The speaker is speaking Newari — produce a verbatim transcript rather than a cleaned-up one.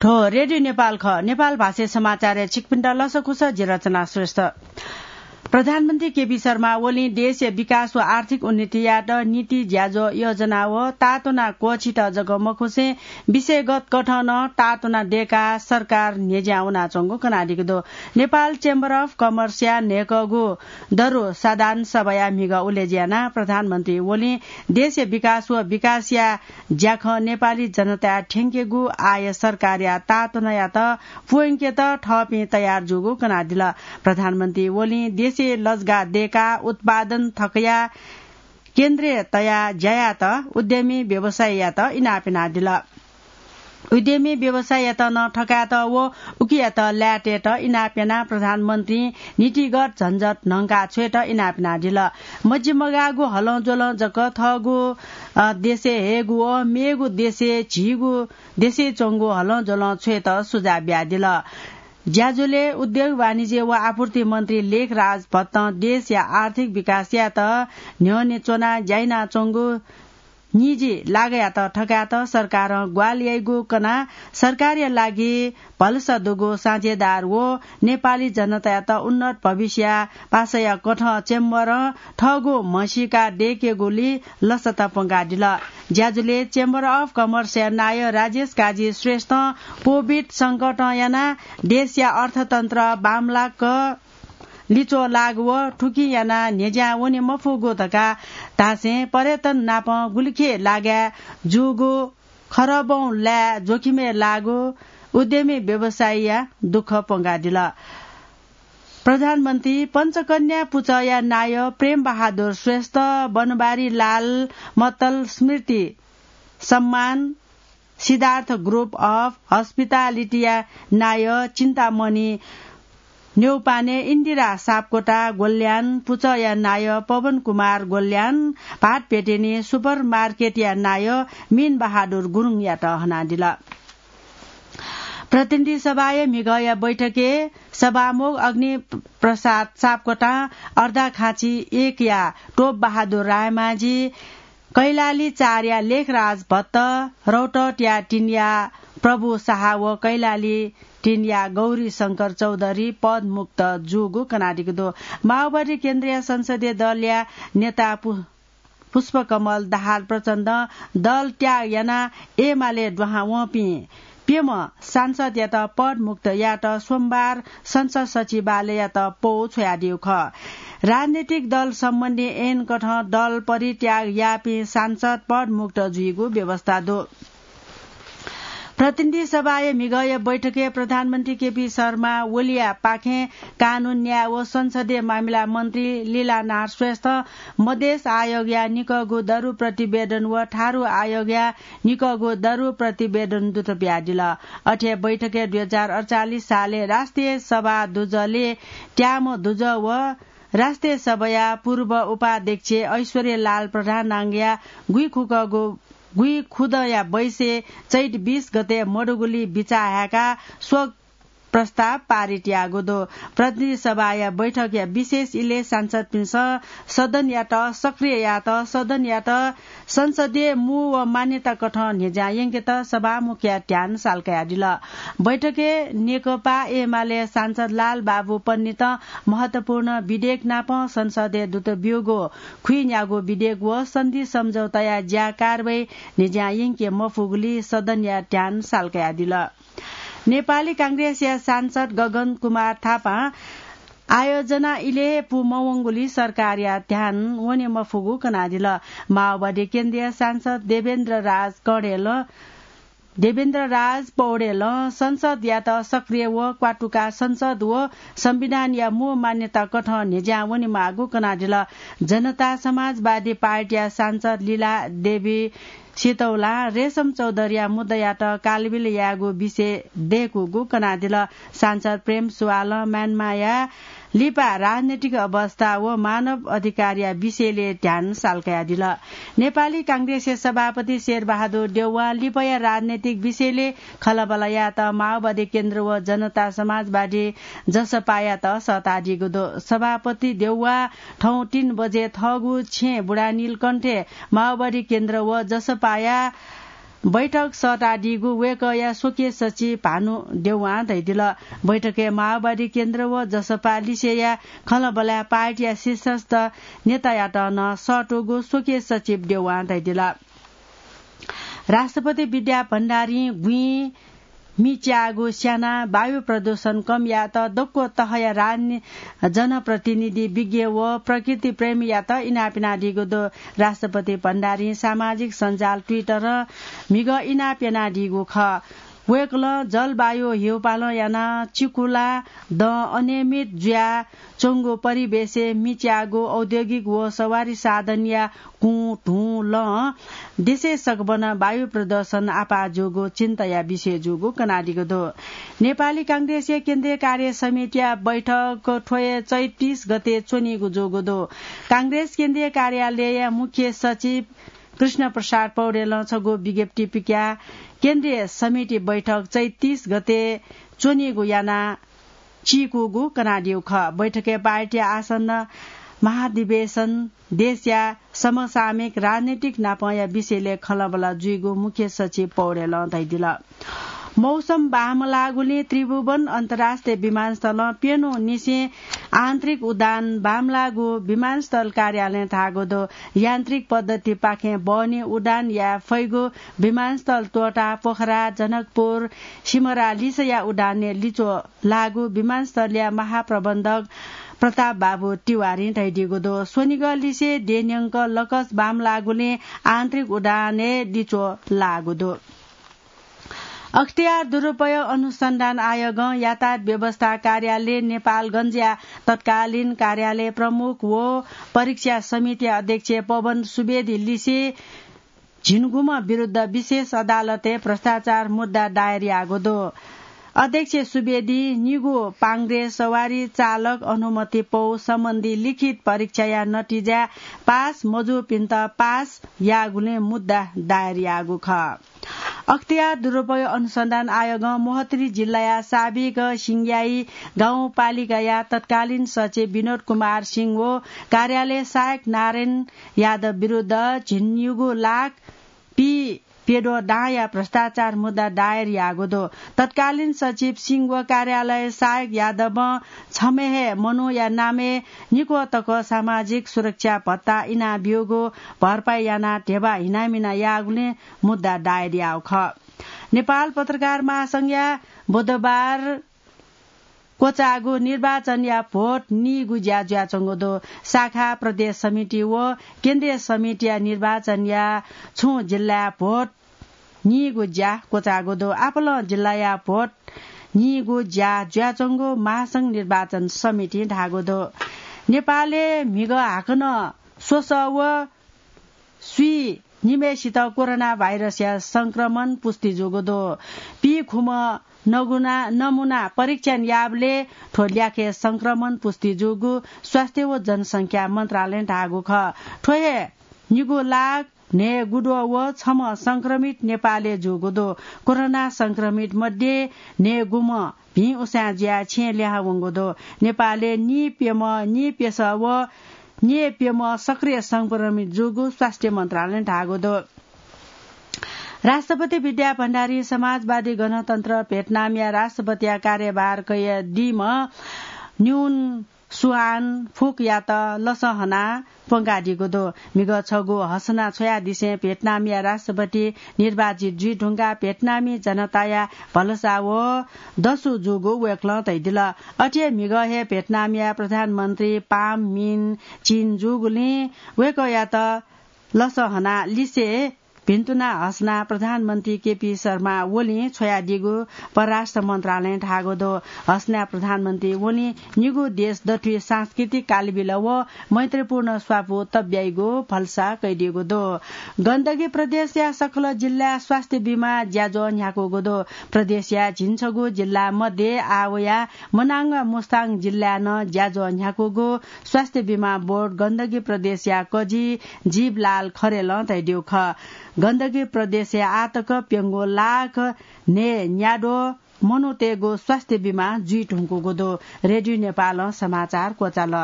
थ्व रेडियो नेपाल खः। नेपाल भाषाय् समाचारय् छिकपिन्त लसकुस, जि रचना श्रेष्ठ। प्रधानमन्त्री केपी शर्मा ओलीं देशया विकास व आर्थिक उन्नतियात नीति, ज्याझ्वः, योजना व तातुना क्वःछित जक मखुसें विषयगत कथं नं तातुना दय्काः सरकार न्ह्यज्यां वनाच्वंगु कनादीगु दु। नेपाल Chamber of Commerce-या न्हय्कःगु दरु साधारण सभाया म्हिगः उलेज्यानाः प्रधानमन्त्री ओलीं देशया विकास व विकासया ज्याखँ नेपाली जनताया थ्यंकेगु आः सरकारया तातुनायात प्वंकेत थःपिं तयार जूगु कनादिल। प्रधानमन्त्री ओलीं देशय् लजगाः दय्काः उत्पादन थकया केन्द्रय् तयाः ज्या यात उद्यमी व्यवसायीयात इनाप यानादिल। उद्यमी व्यवसायीयात नं थकायेत व उकियात लायेतयेत इनाप यानाः प्रधानमन्त्रीं नीतिगत झन्झट न्हंका छ्वयेत इनाप यानादिल। मजिमगाःगु हलंज्वलं जक थःगु, अ, देशय् हयेगु व मेगु देशय् झीगु देशय् च्वंगु हलंज्वलं छ्वयेत सुझाव बियादिल। ज्याझ्वलय् उद्योग, वाणिज्य व आपूर्ति मन्त्री लेखराज भट्टं देशया आर्थिक विकास यायेत न्ह्यःने च्वनाः ज्या यानाच्वंगु निजी लागःयात थकायेत सरकारं ग्वाहालि याइगु कनाः सरकारया लागि भलसा दुगु साझेदार व नेपाली जनतायात उन्नत भविष्यया पासाया कथं चेम्बरं थःगु म्हसीका दय्केगुली लसता प्वंकादिल। ज्याझ्वलय् Chamber of Commerce-या नायः राजेश काजी श्रेष्ठं COVID संकटं यानाः देशया अर्थतन्त्र बांमलाक लिच्वः लाःगु व थुकिं यानाः न्ह्यज्यां वने मफुगु धकाः धासें पर्यटन नाप गुलिखे लागाय् जूगु खरबौं लाय् जोखिमय् लाःगु उद्यमी व्यवसायीया दुःख प्वंकादिल। प्रधानमन्त्री पञ्चकन्या पुचःया नायः प्रेम बहादुर श्रेष्ठ, बनबारी लाल मत्तल स्मृति सम्मान, सिद्धार्थ Group of Hospitality-या नायः चिन्तामणि न्यौपाने, इन्दिरा सापकोटा गोल्यान पुचःया नायः पवन कुमार गोल्यान, भाट भेटेनी सुपर मार्केटया नायः मीन बहादुर गुरुङयात हनादिल। प्रतिनिधि सभाया म्हिगःया बैठकय् सभामुख अग्नि प्रसाद सापकोटां अर्धाखाँची एकया टोप बहादुर रायमाझी, कैलाली चारया लेखराज भट्ट, रौतहटया तीनया प्रभु शाह व कैलाली तीनया गौरी शंकर चौधरी पदमुक्त जूगु कनादीगु दु। माओवादी केन्द्रीय संसदीय दलया नेता पु-, पुष्पकमल दाहाल प्रचण्डं दल त्याग यानाः एमाले दुहां वंपिं प्यम्ह सांसदयात पदमुक्त यायेत सोमबार संसद सचिवालययात पौ छ्वयादीगु खः। राजनीतिक दल सम्बन्धी ऐन कथं दल परित्याग याःपिं सांसद पदमुक्त जुइगु व्यवस्था दु। प्रतिनिधि सभाया म्हिगःया बैठकय् प्रधानमन्त्री केपी शर्मा ओलीया पाखें कानून, न्याय व संसदीय मामिला मन्त्री लीलानाथ श्रेष्ठ मधेस आयोगया निकःगु दरु प्रतिवेदन व थारु आयोगया निकःगु दरु प्रतिवेदन दुत बियादिल। अथे बैठकय् दुई हजार अडचालिस सालय् राष्ट्रिय सभा दुजलय् त्याम्ह दुजः व राष्ट्रिय सभाया पूर्व उपाध्यक्ष ऐश्वर्य लाल प्रधानांगया गुइखुकःगु गुइखुदँया बैसय् चैत बीस गते मदुगुली बिचाः हाय्काः शोक प्रस्ताव पारित याःगु दु। प्रतिनिधि सभाया बैठकया विशेष इलय् सांसदपिन्सं सदनयात सक्रिय यायेत सदनयात संसदीय मू व मान्यता कथं न्ह्यज्यां यंकेत सभामुखया ध्यान साल कयादिल। बैठकय् नेकपा एमाले सांसद लालबाबु पन्नितं महत्वपूर्ण विधेयक नाप संसदय् दुत ब्यूगु खुइन्यागू विधेयक व सन्धि सम्झौताया ज्या कारवाही न्ह्यज्यां यंके मफुगुली सदनया ध्यान साल कयादिल। नेपाली कांग्रेसया सांसद गगन कुमार थापां आयोजना इलय् हे पू मवंगुली सरकारया ध्यान वने मफुगु कनादिल। माओवादी केन्द्रीय सांसद देवेन्द्र राज कौडेल, देवेन्द्र राज पौडेलं संसदयात सक्रिय व क्वातुका संसद व संविधानया मू मान्यता कथं न्ह्यज्यां वनेमाःगु कनादिल। जनता समाजवादी पार्टीया सांसद लीला देवी सितौलां रेशम चौधरीया मुद्दायात कालबिल यायेगु विषय दय्कूगु कनादिल। सांसद प्रेम सुवालं म्यानमाया लिपा राजनैतिक अवस्था व मानव अधिकारया विषयलय् ध्यान साल कयादिल। नेपाली कांग्रेसया सभापति शेरबहादुर देउवां लिपया राजनैतिक विषयलय् खँल्हाबल्हा यायेत माओवादी केन्द्र व जनता समाजवादी जसपायात सःतादीगु दु। सभापति देउवा थौं तीन बजे थःगु छेँ बुढानीलकण्ठय् माओवादी केन्द्र व जसपाया बैठक सःतादीगु वय्कःया स्वकीय सचिव भानु देउवां धयादिल। बैठकय् माओवादी केन्द्र व जसपा लिसेया खँल्हाबल्हाय् पार्टीया शीर्षस्थ नेतायात नं सःतूगु स्वकीय सचिव देउवां धयादिल। राष्ट्रपति विद्या भण्डारीं गुँइ मिच्याःगु स्यानाः वायु प्रदूषण कम यायेत दक्व तहया राजनि-, जनप्रतिनिधि, विज्ञ व प्रकृति प्रेमीयात इनाप यानादीगु दु। राष्ट्रपति भण्डारीं सामाजिक सञ्जाल Twitter-य् म्हिगः इनाप यानादीगु खः। वय्कलं जलवायु ह्यूपालं यानाः चिकुला दँ अनियमित जुया च्वंगु परिवेशय् मिच्याःगु औद्योगिक व सवारी साधनया कुँ, धुँ, लँ देशय् सकभनं वायु प्रदूषण आपाः जूगु चिन्ताया विषय जूगु कनादीगु दु। नेपाली कांग्रेसया केन्द्रीय कार्य समितिया बैठक थ्व हे चैत तीस गते च्वनीगु जूगु दु। कांग्रेस केन्द्रीय कार्यालयया मुख्य सचिव कृष्ण प्रसाद पौडेलं छगू विज्ञप्ति पिकाः केन्द्रीय समिति बैठक चैत तीस गते च्वनीगु याना चीकूगु कनादीगु खः। बैठकय् पार्टीया आसन्न महाधिवेशन, देशया समसामयिक राजनीतिक नापंया विषयलय् खँल्हाबल्हा जुइगु मुख्य सचिव पौडेलं धयादिल। मौसम बांमलाःगुलिं त्रिभुवन अन्तर्राष्ट्रिय विमानस्थलं प्यन्हु निसें आन्तरिक उडान बांमलाःगु विमानस्थल कार्यालयं धाःगु दु। यान्त्रिक पद्धतिपाखें बहनी उडान याये फइगु विमानस्थल त्वःताः पोखरा, जनकपुर, सिमरा लिसेया उडानय् लिच्वः लाःगु विमानस्थलया महाप्रबन्धक प्रताप बाबु तिवारीं धयादीगु दु। स्वनिगः लिसे देय् न्यंक लकस बांमलाःगुलिं आन्तरिक उडानय् लिच्वः लाःगु दु। अख्तियार दुरुपयोग अनुसन्धान आयोगं यातायात व्यवस्था कार्यालय नेपालगञ्जया तत्कालीन कार्यालय प्रमुख व परीक्षा समिति अध्यक्ष पवन सुवेदी लिसे झिंगुम्ह विरुद्ध विशेष अदालतय् भ्रष्टाचार मुद्दा दायर याःगु दु। अध्यक्ष सुवेदीं निगू पांग्रे सवारी चालक अनुमति पौ सम्बन्धी लिखित परीक्षाया नतिजा पास मजूपिन्त पास याःगुलिं मुद्दा दायर याःगु खः। अख्तियार दुरुपयोग अनुसन्धान आयोगं मोहतरी जिल्लाया साबिक सिंग्याई गाउँपालिकाया तत्कालीन सचिव विनोद कुमार सिंह व कार्यालय सहायक नारायण यादव विरुद्ध झिंनिगू लाख पी प्यद्वः दांया भ्रष्टाचार मुद्दा दायर याःगु दु। तत्कालीन सचिव सिंह व कार्यालय सहायक यादवं छम्ह हे मनूया नामय् निक्वः तक सामाजिक सुरक्षा भत्ता इनाब्यूगु भरपाई यानाः ध्यबा हिनामिना याःगुलिं मुद्दा दायर याःगु खः। नेपाल पत्रकार महासंघया बुधबार क्वचाःगु निर्वाचनया भोट नीगु ज्या जुयाच्वंगु दु। शाखा, प्रदेश समिति व केन्द्रीय समितिया निर्वाचनया छुं जिल्लाया भोट नीगु ज्या क्वचाःगु दु। आपालं जिल्लाया भोट नीगु ज्या जुयाच्वंगु महासंघ निर्वाचन समितिं धाःगु दु। नेपालय् म्हिगः हाकनं स्वसः व स्वीनिम्हय्सित कोरोना भाइरसया संक्रमण पुष्टि जूगु दु। पीखुम्ह नगुना, नमुना परीक्षण याःबलय् थ्व ल्याखय् संक्रमण पुष्टि जूगु स्वास्थ्य व जनसंख्या मन्त्रालयं धाःगु खः। थ्व हे निगू लाख न्हय्गुद्वः व छम्ह संक्रमित नेपालय् जूगु दु। कोरोना संक्रमित मध्ये न्हय्गुम्ह भिं उसाँय् जुयाः छेँय् लिहां वंगु दु। नेपालय् नीप्यम्ह, नीप्यसः व न्यय्प्यम्ह सक्रिय संक्रमित जूगु स्वास्थ्य मन्त्रालयं धाःगु दु। राष्ट्रपति विद्या भण्डारीं समाजवादी गणतन्त्र भियतनामया राष्ट्रपतिया कार्यभार कयादीम्ह न्युन सुआन फुकयात लसँ हनाः प्वंकादीगु दु। म्हिगः छगू हसना छ्वयादिसें भियतनामया राष्ट्रपति निर्वाचित जुइधुंकाः भियतनामी जनताया भलसा व दसु जूगु वय्कलं धयादिल। अथे हे म्हिगः हे भियतनामया प्रधानमन्त्री पाम मिन चिन जूगुलिं वय्कःयात लसँ हनाः लिसे भिन्तुना हसना प्रधानमन्त्री केपी शर्मा ओलीं छ्वयादीगु परराष्ट्र मन्त्रालयं धाःगु दु। हसना प्रधानमन्त्री ओलीं निगू देश दथुइ सांस्कृतिक कालबिल व मैत्रीपूर्ण स्वापू तब्याइगु भलसा कयादीगु दु। गण्डकी प्रदेशया सकल जिल्लाय् स्वास्थ्य बीमा ज्याझ्वः न्ह्याकूगु दु। प्रदेशया झिंछगू जिल्ला मध्ये आः वयाः मनाङ व मुस्ताङ जिल्लाय् नं ज्याझ्वः न्ह्याकूगु स्वास्थ्य बीमा बोर्ड गण्डकी प्रदेशया कजि जीवलाल खरेलं धयादीगु खः। गण्डकी प्रदेशय् आःतक प्यंगू लाख न्हय्न्याद्वः मनूतय्गु स्वास्थ्य बीमा जुइधुंकूगु दु। रेडियो नेपालं समाचार क्वचाल।